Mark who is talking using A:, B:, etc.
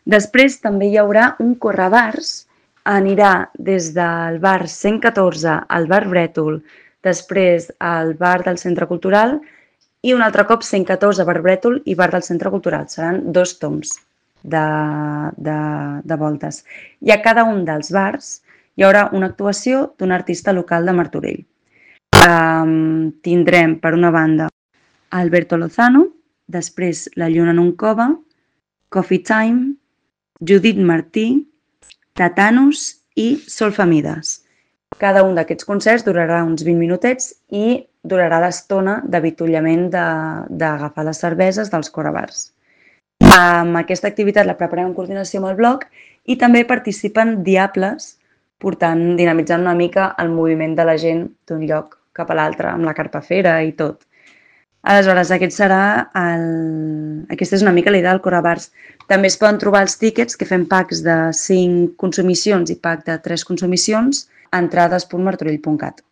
A: Després també hi haurà un correbars, anirà des del bar 114 al bar Brètol, després al bar del Centre Cultural i un altre cop 114 bar Brètol i bar del Centre Cultural. Seran 2 toms de voltes. I a cada un dels bars hi haurà una actuació d'un artista local de Martorell. Tindrem, per una banda, Alberto Lozano, després La Lluna en un cove, Coffee Time, Judit Martí, Tatanus i Solfamides. Cada un d'aquests concerts durarà uns 20 minutets i durarà l'estona d'avituallament d'agafar les cerveses dels correbars. Aquesta activitat la preparem en coordinació amb el blog i també participen diables dinamitzant una mica el moviment de la gent d'un lloc cap a l'altre, amb la carpafera i tot. Aleshores, aquesta és una mica la idea del correbars. També es poden trobar els tíquets, que fem packs de 5 consumicions i pack de 3 consumicions, a entrades.martorell.cat.